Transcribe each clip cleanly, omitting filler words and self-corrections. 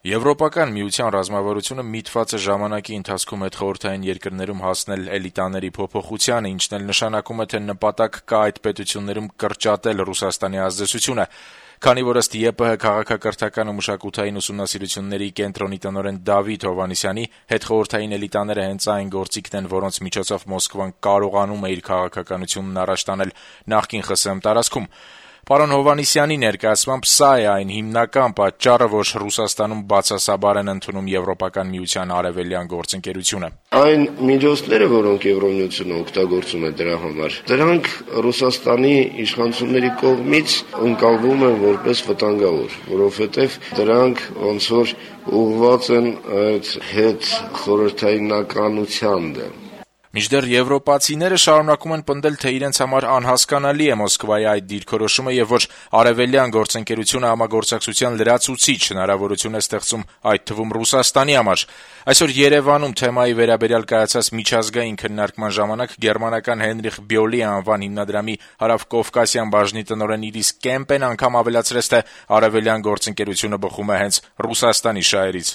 Եվրոպական միության ռազմավարությունը միտված է ժամանակի ընթացքում հետխորհրդային երկրներում հասնել էլիտաների փոփոխությանը, ինչն էլ նշանակում է, թե նպատակ կա այդ պետություններում կրճատել Ռուսաստանի ազդեցությունը, քանի որ ըստ ԵՊՀ քաղաքակրթական ու մշակութային ուսումնասիրությունների կենտրոնի տնօրեն Դավիթ Հովհաննիսյանի հետխորհրդային էլիտաները հենց այն գործիքն են, որոնց միջոցով Մոսկվան կարողանում է իր քաղաքականությունն առաջ տանել նախկին ԽՍՀՄ տարածքում։ Պարոն Հովհաննիսյանի ներկայացմամբ սա է այն հիմնական պատճառը, որ Ռուսաստանում բացասաբար են ընդունում Եվրոպական միության արևելյան գործընկերությունը։ Այն միջոցները, որոնք Եվրոմիությունը օգտագործում է դրա համար, դրանք Ռուսաստանի իշխանությունների կողմից ընկալվում են որպես վտանգավոր, որովհետև դրանք ոնց որ ուղղված են այդ հետ խորհրդայնականության դեմ։ Մինչդեռ եվրոպացիները շարունակում են պնդել, թե իրենց համար անհասկանալի է Մոսկվայի այդ դիրքորոշումը եւ որ արևելյան գործընկերությունը համագործակցության լրացուցիչ հնարավորություն է ստեղծում այդ թվում Ռուսաստանի համար։ Այսօր Երևանում թեմայի վերաբերյալ կայացած միջազգային քննարկման ժամանակ գերմանական Հենրիխ Բյոլի անվան հիմնադրամի հարավկովկասյան բաժնի տնօրեն Իրիս Կեմպեն անգամ ավելացրեց, թե արևելյան գործընկերությունը բխում է հենց Ռուսաստանի շահերից։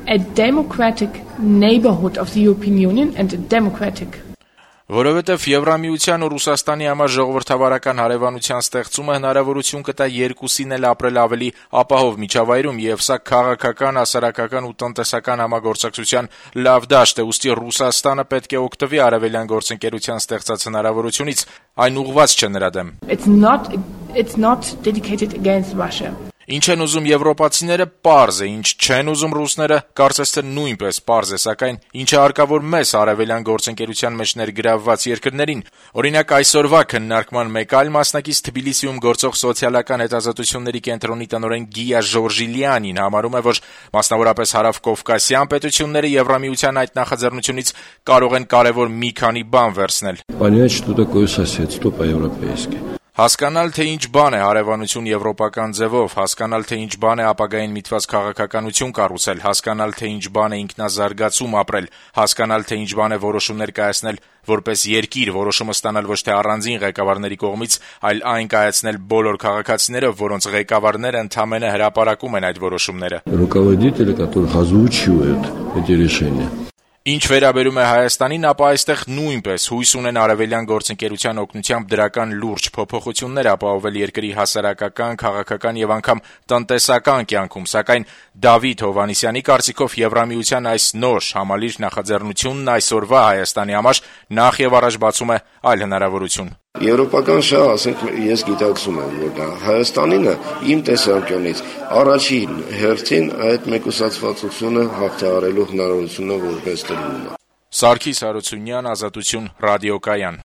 A democratic neighborhood of the European Union and a democratic Որովհետև Եվրամիության ու Ռուսաստանի համար ժողովրդավարական հարևանության ստեղծումը հնարավորություն կտա երկուսին էլ ապրել ավելի ապահով միջավայրում եւ սա քաղաքական, հասարակական ու տնտեսական համագործակցության լավ դաշտ է, ուստի Ռուսաստանը պետք է օգտվի արևելյան գործընկերության ստեղծած հնարավորությունից, այն ուղղված չէ նրա դեմ։ It's not dedicated against Russia. Ինչ են ուզում եվրոպացիները, պարզ է, ինչ չեն ուզում ռուսները, կարծես թե նույնպես պարզ է, սակայն ինչը հարկավոր մեզ արևելյան գործընկերության մեջ ներգրավված երկրներին։ Օրինակ այսօրվա քննարկման մեկ այլ մասնակից Թբիլիսիում գործող սոցիալական հետազոտությունների կենտրոնի տնօրեն Գիա Ժորժիլյանին համարում է, որ մասնավորապես հարավկովկասյան պետությունները Եվրամիության այդ նախաձեռնությունից կարող են կարևոր մի քանի բան վերցնել։ Понять, что такое соседство по-европейски. Հասկանալ, թե ինչ բան է հարևանություն եվրոպական ձևով, հասկանալ, թե ինչ բան է ապագային միտված քաղաքականություն կառուցել, հասկանալ, թե ինչ բան է ինքնազարգացում ապրել, հասկանալ, թե ինչ բան է որոշումներ կայացնել որպես երկիր, որոշումը ստանալ ոչ թե առանձին ղեկավարների կողմից, այլ այն կայացնել բոլոր քաղաքացիներով, որոնց ղեկավարները ընդամենը հրապարակում են այդ որոշումները։ Руководители, которых озвучивают эти решения. Ինչ վերաբերում է Հայաստանին, ապա այստեղ նույնպես հույս ունեն արևելյան գործընկերության օգնությամբ դրական լուրջ փոփոխություններ ապահովել երկրի հասարակական, քաղաքական եւ անգամ տնտեսական կյանքում, սակայն Դավիթ Հովհաննիսյանի կարծիքով Եվրամիության այս նոր համալիր նախաձեռնությունն այսօրվա Հայաստանի համար նախ եւ առաջ բացում է այլ հնարավորություն։ Եվրոպական շահ, ասենք, ես գիտակցում եմ, որ դա Հայաստանինը իմ տեսանկյունից առաջին հերթին այդ մեկուսացվածությունը հաղթահարելու հնարավորությունը որպես տրվում է։ Սարգիս Հարությունյան, Ազատություն ռադիոկայան։